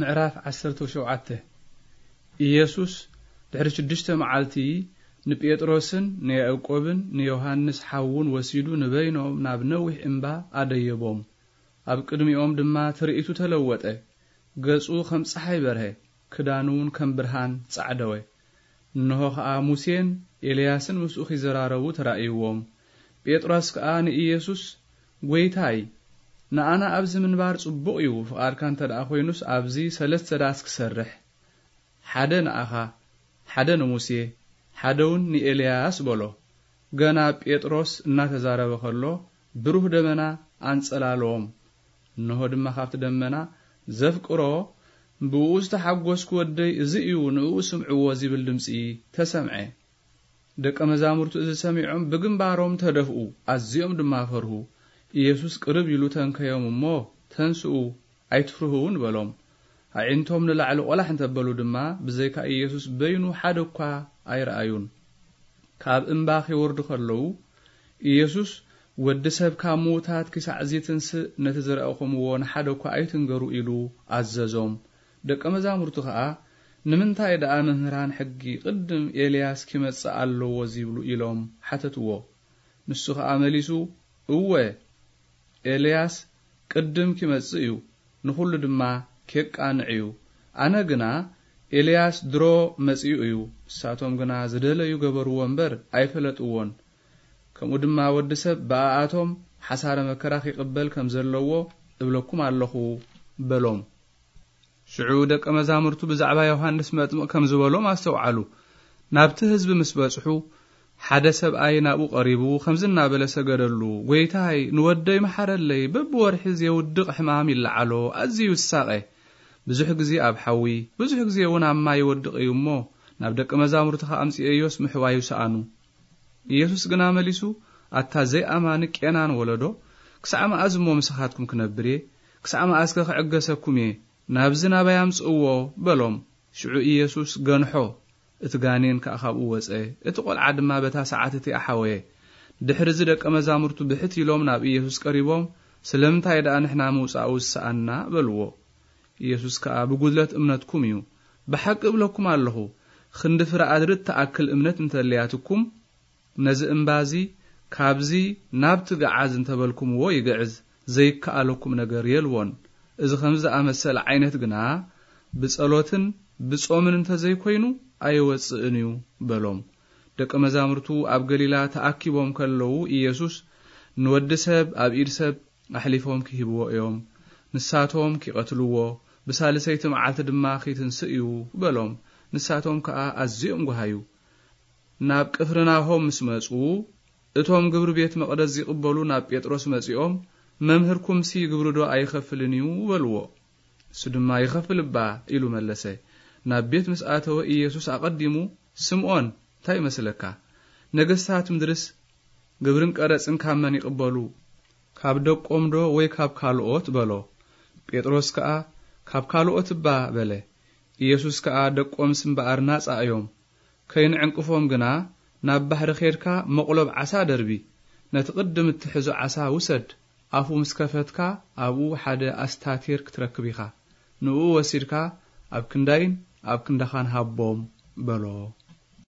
ምዕራፍ ዓሰርተ ሸውዓተ። ኢየሱስ ድሕሪ ሽዱሽተ መዓልቲ ንጴጥሮስን ንያዕቆብን ንዮሃንስ ሓዉን ወሲዱ ንበይኖም ናብ ነዊሕ እምባ ኣደየቦም። ኣብ ቅድሚኦም ድማ ትርኢቱ ተለወጠ። ገጹ ከም ጸሓይ በርሀ፣ ክዳኑ እውን ከም ብርሃን ጻዕደወ። እንሆ ኸኣ ሙሴን ኤልያስን ምስኡ ኺዘራረቡ ተራእይዎም። ጴጥሮስ ከኣ ንኢየሱስ፣ "ጐይታይ፣ ንኣና ኣብዚ ምንባር ጽቡቕ እዩ፣ ፍቓድካ እንተ ደኣ ኾይኑስ ኣብዚ ሰለስተ ዳስ ክሰርሕ፣ ሓደ ንኣኻ፣ ሓደ ንሙሴ፣ ሓደ እውን ንኤልያስ" በሎ። ገና ጴጥሮስ እናተዛረበ ኸሎ ብሩህ ደመና ኣንጸላልዎም። እንሆ ድማ ካብቲ ደመና፣ "ዘፍቅሮ፣ ብእኡ ዝተሓጐስኩ ወደይ እዚ እዩ፣ ንእኡ ስምዕዎ" ዚብል ድምጺ ተሰምዐ። ደቀ መዛሙርቱ እዚ ሰሚዖም ብግንባሮም ተደፍኡ፣ ኣዝዮም ድማ ፈርሁ። ኢየሱስ ቅርብ ኢሉ ተንከዮም እሞ፣ "ተንስኡ፣ ኣይትፍርሁ" እውን በሎም። ኣዒንቶም ንላዕሊ ቖላሕ እንተበሉ ድማ፣ ብዘይካ ኢየሱስ በይኑ ሓደ እኳ ኣይረኣዩን። ካብ እምባ ኺወርዱ ኸለዉ፣ ኢየሱስ፣ "ወዲ ሰብ ካብ ምዉታት ኪሳዕ ዚትንስእ ነቲ ዝረኣኹምዎ ንሓደ እኳ ኣይትንገሩ" ኢሉ ኣዘዞም። ደቀ መዛሙርቱ ኸኣ፣ "ንምንታይ ደኣ መምህራን ሕጊ ቅድም ኤልያስ ኪመጽእ ኣለዎ ዚብሉ?" ኢሎም ሓተትዎ። ንሱ ኸኣ መሊሱ፣ "እወ፣ ኤልያስ ቅድም ኪመጽእ እዩ፣ ንኹሉ ድማ ኬቃንዕ እዩ። ኣነ ግና፣ ኤልያስ ድሮ መጺኡ እዩ፣ ንሳቶም ግና ዝደለዩ ገበርዎ እምበር ኣይፈለጥዎን። ከምኡ ድማ ወዲ ሰብ ብኣኣቶም ሓሳረ መከራ ኺቕበል ከም ዘለዎ እብለኩም ኣለኹ" በሎም። ሽዑ ደቀ መዛሙርቱ ብዛዕባ ዮሃንስ መጥምቕ ከም ዝበሎም ኣስተውዓሉ። ናብቲ ህዝቢ ምስ በጽሑ፣ ሓደ ሰብኣይ ናብኡ ቀሪቡ፣ ከምዚ እናበለ ሰገደሉ፣ "ጐይታይ፣ ንወደይ መሓረለይ፣ በብወርሒ ዜውድቕ ሕማም ይለዓሎ፣ ኣዝዩ ይሳቐ። ብዙሕ ግዜ ኣብ ሓዊ፣ ብዙሕ ግዜ እውን ኣብ ማይ ይወድቕ እዩ እሞ፣ ናብ ደቀ መዛሙርትኻ ኣምጽኤዮስ ምሕዋዩ ሰኣኑ።" ኢየሱስ ግና መሊሱ፣ "ኣታ ዘይኣማኒ ቄናን ወለዶ፣ ክሳዕ መኣዝ እሞ ምሳኻትኩም ክነብር እየ? ክሳዕ መኣዝከ ክዕገሰኩም እየ? ናብዚ ናባይ ኣምጽእዎ" በሎም። ሽዑ ኢየሱስ ገንሖ፣ እቲ ጋኔን ከኣ ካብኡ ወጸ። እቲ ቈልዓ ድማ በታ ሰዓት እቲኣ ሓወየ። ድሕሪ እዚ ደቀ መዛሙርቱ ብሕት ኢሎም ናብ ኢየሱስ ቀሪቦም፣ "ስለምንታይ ደኣ ንሕና ምውጻኡ ዝሰኣንና?" በልዎ። ኢየሱስ ከኣ፣ "ብጉድለት እምነትኩም እዩ። ብሓቂ እብለኩም ኣለኹ፣ ክንዲ ፍረ ኣድሪ እትኣክል እምነት እንተልያትኩም፣ ነዚ እምባ እዚ፣ 'ካብዚ ናብቲ ገዓዝ' እንተበልኩምዎ ይግዕዝ፣ ዘይከኣለኩም ነገር የልቦን። እዚ ከምዚ ዝኣመሰለ ዓይነት ግና ብጸሎትን ብጾምን እንተዘይኮይኑ ኣይወጽእን እዩ" በሎም። ደቀ መዛሙርቱ ኣብ ገሊላ ተኣኪቦም ከለዉ፣ ኢየሱስ፣ "ንወዲ ሰብ ኣብ ኢድ ሰብ ኣሕሊፎም ኪህብዎ እዮም፣ ንሳቶም ኪቐትልዎ፣ ብሳልሰይቲ መዓልቲ ድማ ኺትንስእ እዩ" በሎም። ንሳቶም ከኣ ኣዝዮም ጓሃዩ። ናብ ቅፍርናሆም ምስ መጹ፣ እቶም ግብሪ ቤት መቕደስ ዚቕበሉ ናብ ጴጥሮስ መጺኦም፣ "መምህርኩምሲ ግብሪ ዶ ኣይኸፍልን እዩ?" በልዎ። እሱ ድማ፣ "ይኸፍል እባ" ኢሉ መለሰ። ናብ ቤት ምስ ኣተወ፣ ኢየሱስ ኣቐዲሙ፣ "ስምዖን፣ እንታይ ይመስለካ? ነገስታት ምድርስ ግብርን ቀረጽን ካብ መን ይቕበሉ? ካብ ደቆም ዶ ወይ ካብ ካልኦት?" በሎ። ጴጥሮስ ከኣ፣ "ካብ ካልኦት እባ" በለ። ኢየሱስ ከኣ፣ "ደቆምስ እምበኣር ናጻ እዮም። ከይንዕንቅፎም ግና፣ ናብ ባሕሪ ኼድካ መቕሎብ ዓሳ ደርቢ። ነቲ ቅድም እትሕዞ ዓሳ ውሰድ። ኣፉ ምስ ከፈትካ፣ ኣብኡ ሓደ ኣስታቴር ክትረክብ ኢኻ። ንእኡ ወሲድካ ኣብ ክንዳይን ኣብ ክንዳኻን ሃቦም" በሎ።